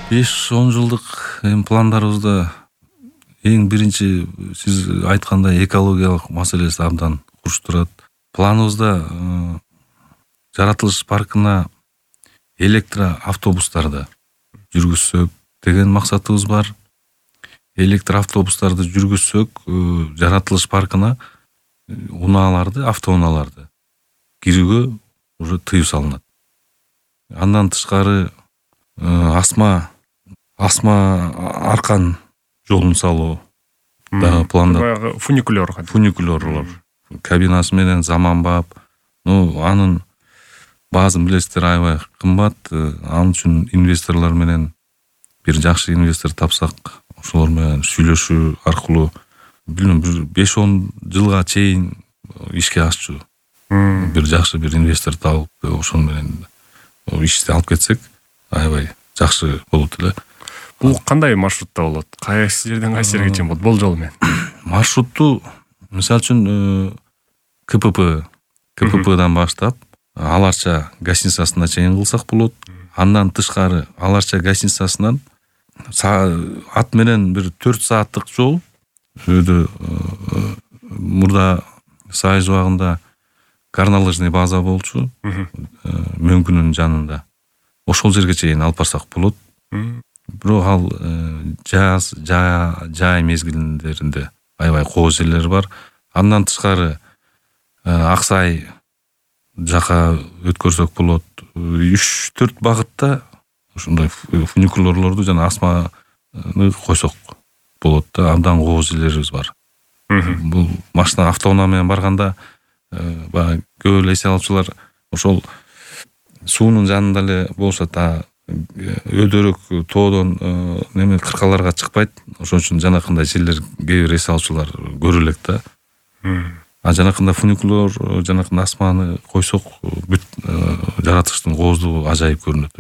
5-10 жылдык пландарыбызда эң биринчи сиз айткандай экологиялык маселеси абдан курч турат. Планыбызда жаратылыш паркына электроавтобустарды жүргүзсөк деген максатыбыз бар. Электроавтобустарды жүргүзсөк жаратылыш паркына унааларды, автоунааларды кирүүгө уже тыюу салынат. Андан тышкары асма аркан жолун салуу дагы планда. Баягы фуникулёрлор. Кабинасы менен заманбап. Анын баазын билесиздер, аябай кымбат. Анын үчүн инвесторлор менен бир жакшы инвестор тапсак, ошолор менен сүйлөшүү аркылуу билем 5-10 жылга чейин ишке ашчу. Бир жакшы бир инвестор табып, ошол менен ишти алып кетсек, аябай жакшы болот эле. Бул кандай маршрутта болот? Кайсы жерден кайсы жерге чейин болот болжол менен? Маршрутту мисалы үчүн КППдан баштап Аларча гостиницасына чейин кылсак болот. Андан тышкары Аларча гостиницасынан ат менен бир 4 сааттык жол. Мурда Сайыз убагында горнолыжный база болчу. Мөңкүнүн жанында. Ошол жерге чейин алып барсак болот. Бирок ал жай мезгилдеринде аябай кооз жерлер бар. Андан тышкары Аксай жака өткөрсөк болот. 3-4 багытта ушундай фуникулёрлорду жана асманы койсок болот да. Абдан кооз жерлерибиз бар. Бул машина автоунаа менен барганда баягы көп эле эсе алуучулар ошол суунун жанында эле болушат. Өдөрөк тоодон кыркаларга чыкпайт. Ошон үчүн жанакындай жерлер кээ бир эсе алуучулар көрө элек да. Жанакында фуникулер, жанакында асманы койсок, бүт жаратылыштын кооздугу ажайып көрүнөт.